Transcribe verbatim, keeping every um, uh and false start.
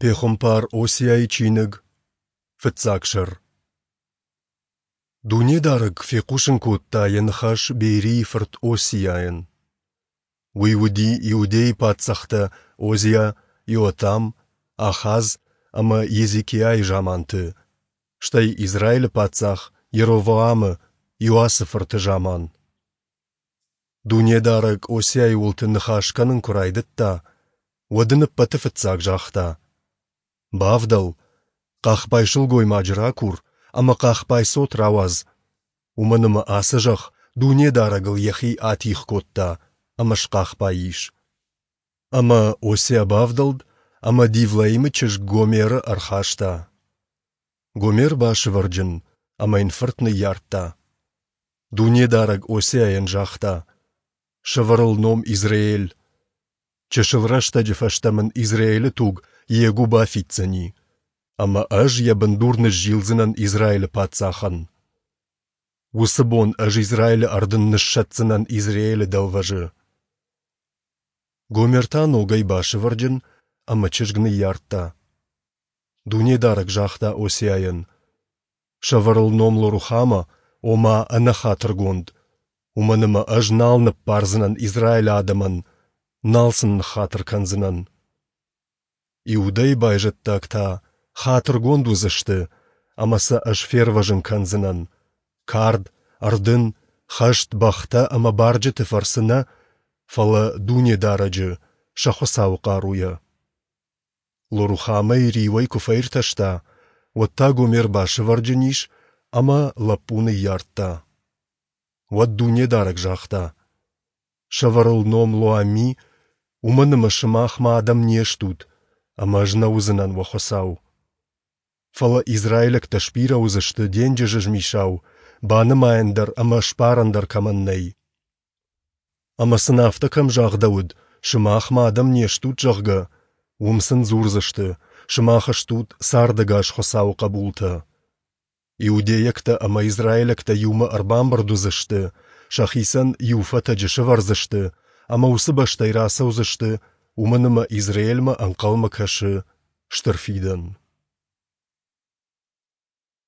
Пехуымпар Осиайы чиныг, фыццаг сӕр. Дунедарӕг фехъусын кодта Йӕ ныхас Беерийы фырт Осиайӕн. Уый уыди Иудейы паддзӕхтӕ Озиа, Иотам, Ахаз ӕмӕ Езекиайы заманты, стӕй Израилы паддзах Йеровоамы, Иоасы фырты заман. Дунедарӕг Осиайы уылты ныхас кӕнын куы райдыдта, уӕд ын ӕппӕты фыццаг загъта: «Бавдӕл, хъахбай сылгоймаджы ракур ӕмӕ хъахбай цот рауадз, уымӕн ӕмӕ ацы зӕхх Дунедарӕгыл йӕхи атигъ кодта ӕмӕ схъахбай ис». Ӕмӕ Осиа бавдӕлд ӕмӕ Дивлаимы чызг Гомеры ӕрхаста. Гомер басывӕрджын ӕмӕ йын фырт ныййардта. Дунедарӕг Осиайӕн загъта: «Сӕвӕр ыл ном Изреель. Чысыл рӕстӕджы фӕстӕ мын Израилы туг Йегу бафиддзӕни, ӕмӕ ӕз йӕ бындур ныззилдзынӕн Израилы паддзахӕн. Уыцы бон ӕз Израилы ӕрдын ныссӕтдзынӕн Изреелы дӕлвӕзы». Гомер та ногӕй басывӕрджын ӕмӕ чызг ныййардта. Дунедарӕг загъта Осиайӕн: «Сӕвӕр ыл ном Лорухама, ома ӕнӕхатыргонд, уымӕн ӕмӕ ӕз нал ныббардзынӕн Израилы адӕмӕн, нал сын ныххатыр кӕндзынӕн. Иудӕйы байзӕддаг та хатыргонд уыдзысты, ӕмӕ сӕ ӕз фервӕзын кӕндзынӕн, кард, ӕрдын, хӕст, бӕхтӕ ӕмӕ барджыты фӕрцы нӕ, фӕлӕ Дунедарӕджы, сӕ Хуыцауы хъаруйӕ». Лорухамӕйы риуӕй куы фӕиртӕста, уӕд та Гомер басывӕрджын ис ӕмӕ лӕппу ныййардта. Уӕд Дунедарӕг загъта: «Сӕвӕр ыл ном Лоамми, уымӕн ӕмӕ сымах мӕ адӕм не стут, ӕмӕ ӕз нӕ уыдзынӕн уӕ Хуыцау. Фӕлӕ израилӕгтӕ сбирӕ уыдзысты денджызы змисау, банымайӕн дӕр ӕмӕ сбарӕн дӕр кӕмӕн нӕй. Ӕмӕ сын афтӕ кӕм загъдӕуыд, сымах мӕ адӕм не стут, зӕгъгӕ, уым сын дзурдзысты, сымах стут цардӕгас Хуыцауы хъӕбултӕ. Иудейӕгтӕ ӕмӕ израилӕгтӕ иумӕ ӕрбамбырд уыдзысты, сӕхицӕн иу фӕтӕджы сӕвӕрдзысты ӕмӕ уыцы бӕстӕй рацӕудзысты, уымӕн ӕмӕ Израилмӕ ӕнхъӕлмӕ кӕсы стыр фидӕн.